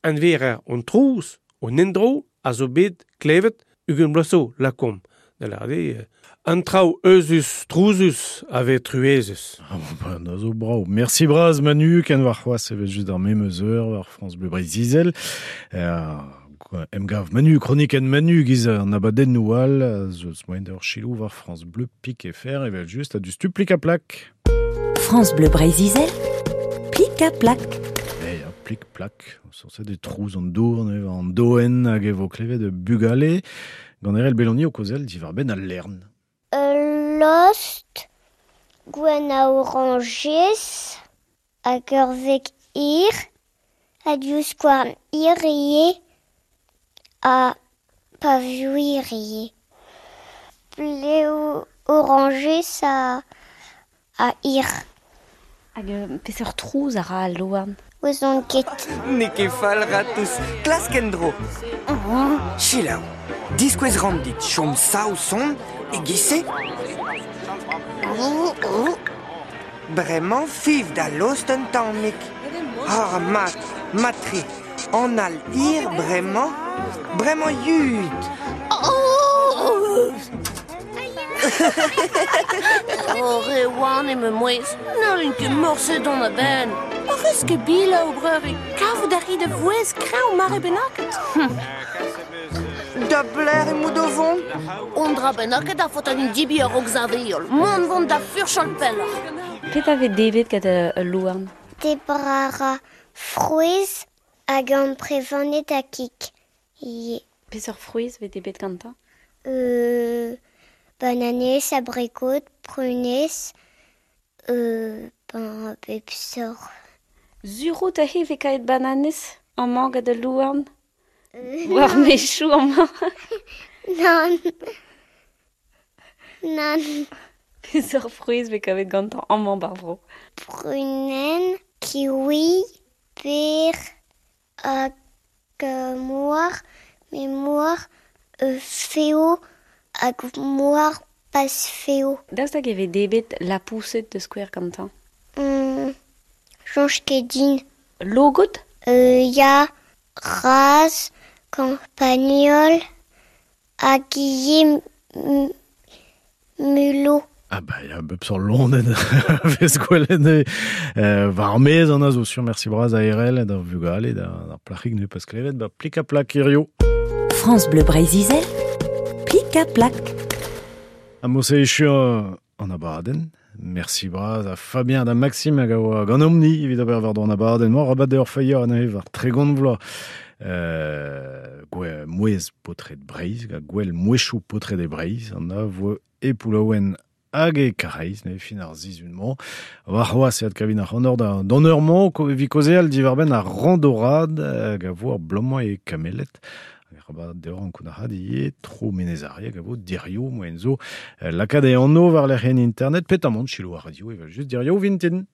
anverer an trouz, an endro a zo bet klevet ugent bloaz zo, lakaomp. Da lâret eo, an traoù euzhus, trouzus a vez truezus. Ah bon, ben, a zo brav. Merci bras Manu, ken war c'hoazh evel just ar memes eur war France Bleu Breizh-Izel. Euh, emgav Manu, kronikenn Manu giz an abadennoù all, zo eus moaien d'ur chilou war France Bleu pik e fer evel just a du stu plik a plak. France Bleu Breizh-Izel, plik a plak. Eh ya, plik plak, sur des trouz an dour, an doen hag e vo klevet de bugale. Gant Erel Beloni o kozel diwar benn al lern. Lost, gwenn a oranjez, hag ur veg hir, ha divskouarn hir ivez, ha pavioù hir ivez. Blev oranjez ha, ha hir. Hag peseurt trouz a ra al louarn? Ouzon ket. N'eo ket fall ratouz, klask en-dro. Selaou, diskouez ran dit chom sav son e giz-se. Bremañ fiv da lost un tammig. Ah, mat, mat-tre. An al hir bremañ, bremañ yud. Oh, re oan eo ma mouezh. N'hallin ket morse dont a-benn. Oc'h eus ket bila o breur e kavout a ri da vouezh kreñv mare bennaket. Da blec'h emaout o vont? On dra bennaket a faot an dibi a-raok saveol. Mont vont da furchal pelloc'h. Petra vez devet gant ul louarn? Debriñ a ra frouezh hag amprevaned ha kig ivez. Peseurt frouezh vez debret gantañ? Euh, bananez, abrikod, prunez, euh, ben, bep sort. Sur out aze vez kaet bananez amañ gant al louarn? War mechoù amañ? Nann. Nann. Peseurt frouezh vez kavet gantañ amañ bar vro? Prunenn, kiwi, per, hag mouar, met mouar euh, feo hag mouar pas feo. Daoust hag e vez debret lapoused da skouer gantañ? Mm, soñj ket din. Logod? Euh, ya, raz, campagnol, hag ivez mulot. Ah bah, ya, bep seurt loened vez gwelet eo war ar maez an a zo sur merci bras a Erel da vugale da ar plac'hig ne pas klevet ba plik a plak hirio. France Bleu Breizh-Izel, plik a plak. Ha mo se echu an abadenn. Merci bras a Fabien da Maxime hag a oa gant omni evit ober war an abadenn. Mor rabat d'ur feilhañ anezhe war tregont vloaz. Euh, gwe mouezh paotred Breizh, ga gwell mouezhioù paotred e Breizh, an a vo e Poullaouen hag e Karaez, ne fin ar sizhun-mañ. War c'hoazh e adkavin ar c'honor da d'an eur-mañ, evit kaozeal diwar-benn ar randorad hag a vo ar bloaz-mañ e Kameled. Hag rabat deoc'h an kounac'had ivez, tro Menez-Are hag a vo dirio moaien zo lakaat e anv war lec'hienn internet, petamant selaou ar radio evel just dirio vintin.